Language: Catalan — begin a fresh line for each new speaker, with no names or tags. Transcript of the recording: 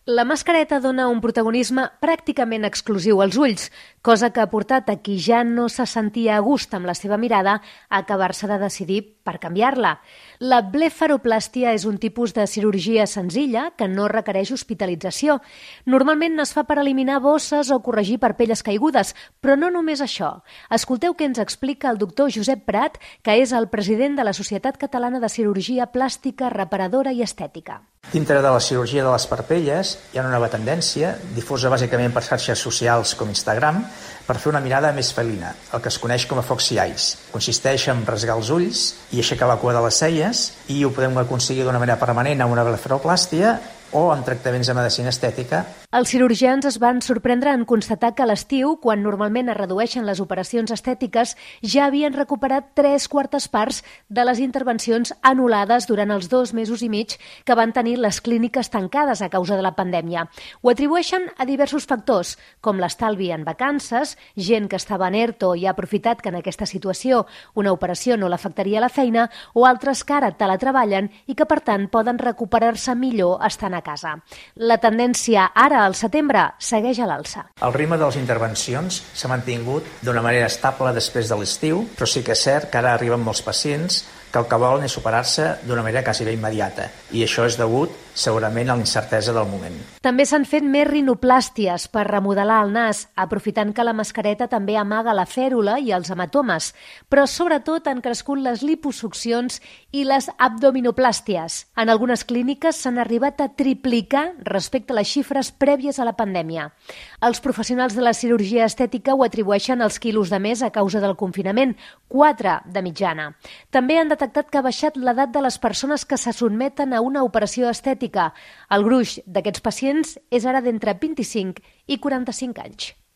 La mascareta dona un protagonisme pràcticament exclusiu als ulls, cosa que ha portat a qui ja no se sentia a gust amb la seva mirada a acabar-se de decidir per canviar-la. La blefaroplàstia és un tipus de cirurgia senzilla que no requereix hospitalització. Normalment es fa per eliminar bosses o corregir parpelles caigudes, però no només això. Escolteu què ens explica el doctor Josep Prat, que és el president de la Societat Catalana de Cirurgia Plàstica, Reparadora i Estètica.
Dintre de la cirurgia de les parpelles hi ha una nova tendència, difosa bàsicament per xarxes socials com Instagram, per fer una mirada més felina, el que es coneix com a foxy eyes. Consisteix en rasgar els ulls i aixecar la cua de les celles i ho podem aconseguir d'una manera permanent amb una blefaroplàstia o amb tractaments de medicina estètica.
Els cirurgians es van sorprendre en constatar que a l'estiu, quan normalment es redueixen les operacions estètiques, ja havien recuperat 3/4 parts de les intervencions anul·lades durant els 2 mesos i mig que van tenir les clíniques tancades a causa de la pandèmia. Ho atribueixen a diversos factors, com l'estalvi en vacances, gent que estava en ERTO i ha aprofitat que en aquesta situació una operació no l'afectaria a la feina, o altres que ara teletreballen i que, per tant, poden recuperar-se millor estant a casa. La tendència ara, al setembre, segueix a l'alça.
El ritme de les intervencions s'ha mantingut d'una manera estable després de l'estiu, però sí que és cert que ara arriben molts pacients que el que volen és superar-se d'una manera quasi bé immediata, i això és degut segurament a la incertesa del moment.
També s'han fet més rinoplàsties per remodelar el nas, aprofitant que la mascareta també amaga la fèrula i els hematomes, però sobretot han crescut les liposuccions i les abdominoplàsties. En algunes clíniques s'han arribat a triplicar respecte a les xifres prèvies a la pandèmia. Els professionals de la cirurgia estètica ho atribueixen als quilos de més a causa del confinament, 4 de mitjana. També han detectat que ha baixat l'edat de les persones que se sotmeten a una operació estètica. El gruix d'aquests pacients és ara d'entre 25 i 45 anys.